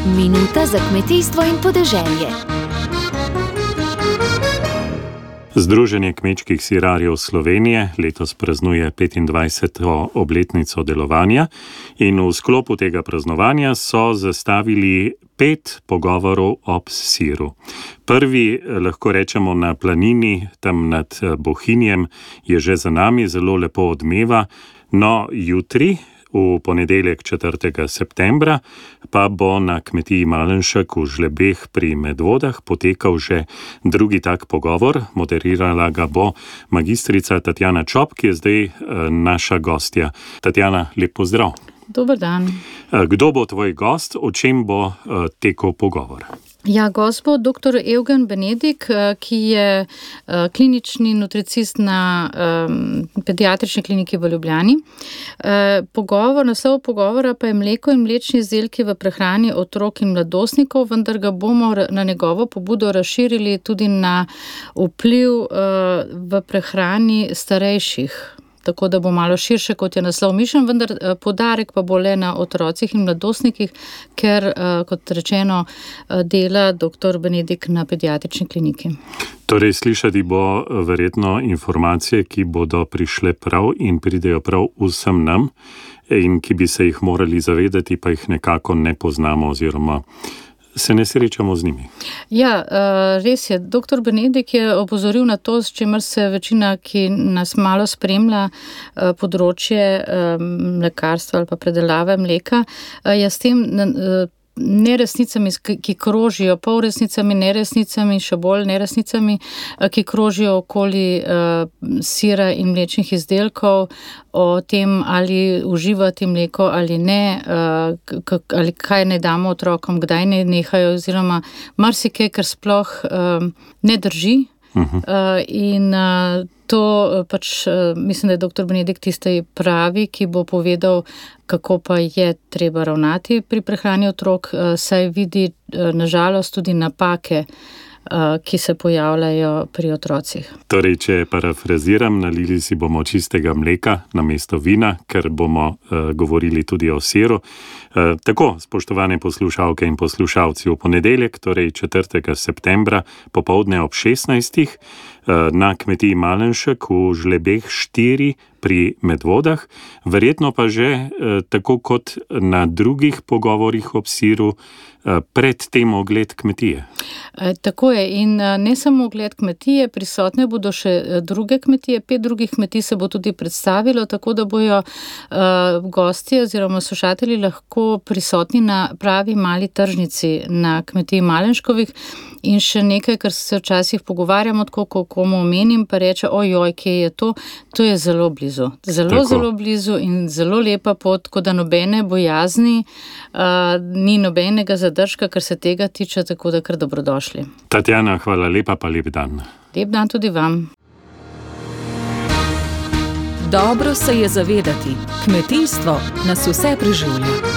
Minuta za kmetijstvo in podeželje. Združenje kmečkih sirarjev Slovenije letos praznuje 25. obletnico delovanja in v sklopu tega praznovanja so zastavili 5 pogovorov ob siru. Prvi, lahko rečemo na planini, tam nad Bohinjem, je že za nami, zelo lepo odmeva. No, jutri, v ponedeljek 4. septembra, pa bo na kmetiji Malenšek v Žlebeh pri Medvodah potekal že drugi tak pogovor. Moderirala ga bo magistrica Tatjana Čop, ki je zdaj naša gostja. Tatjana, lep pozdrav. Dober dan. Kdo bo tvoj gost, o čem bo tekel pogovor? Ja, gost bo dr. Evgen Benedik, ki je klinični nutricist na pediatrični kliniki v Ljubljani. Naslov pogovora pa je mleko in mlečni izdelki v prehrani otrok in mladostnikov, vendar ga bomo na njegovo pobudo razširili tudi na vpliv v prehrani starejših. Tako da bo malo širše, kot je naslov mišljen, vendar poudarek pa bo le na otrocih in mladostnikih, ker, kot rečeno, dela dr. Benedik na pediatrični kliniki. Torej, slišati bo verjetno informacije, ki bodo prišle prav in pridejo prav vsem nam in ki bi se jih morali zavedati, pa jih nekako ne poznamo oziroma se ne srečamo z njimi. Ja, res je. Dr. Benedik je opozoril na to, s čimer se večina, ki nas malo spremlja, področje mlekarstva ali pa predelave mleka, je s tem neresnicami, ki krožijo, polresnicami, neresnicami, še bolj neresnicami, ki krožijo okoli sira in mlečnih izdelkov, o tem, ali uživati mleko ali ne, ali kaj naj damo otrokom, kdaj naj nehajo, oziroma marsikaj, kar sploh ne drži. In to pač mislim, da je dr. Benedik tisti pravi, ki bo povedal, kako pa je treba ravnati pri prehrani otrok, saj vidi nažalost tudi napake, ki se pojavljajo pri otrocih. Torej, če parafraziram, nalili si bomo čistega mleka namesto vina, ker bomo govorili tudi o siru. Tako, spoštovane poslušalke in poslušalci, v ponedeljek, torej 4. septembra, popoldne ob 16. na kmetiji Malenšek v Žlebeh 4 pri Medvodah, verjetno pa že tako kot na drugih pogovorih ob siru, pred tem ogled kmetije. Tako je, in ne samo ogled kmetije, prisotne bodo še druge kmetije, 5 drugih kmetij se bo tudi predstavilo, tako da bojo gostje oziroma slušatelji lahko prisotni na pravi mali tržnici na kmetiji Malenškovih. In še nekaj, kar se včasih pogovarjamo, tako ko komu omenim, pa reče, ojoj, kje je to? To je zelo blizu. Zelo blizu in zelo lepa pot, tako da nobene bojazni, ni nobenega zadržka, kar se tega tiče, tako da kar dobrodošli. Tatjana, hvala lepa, pa lep dan. Lep dan tudi vam. Dobro se je zavedati, kmetijstvo nas vse preživlja.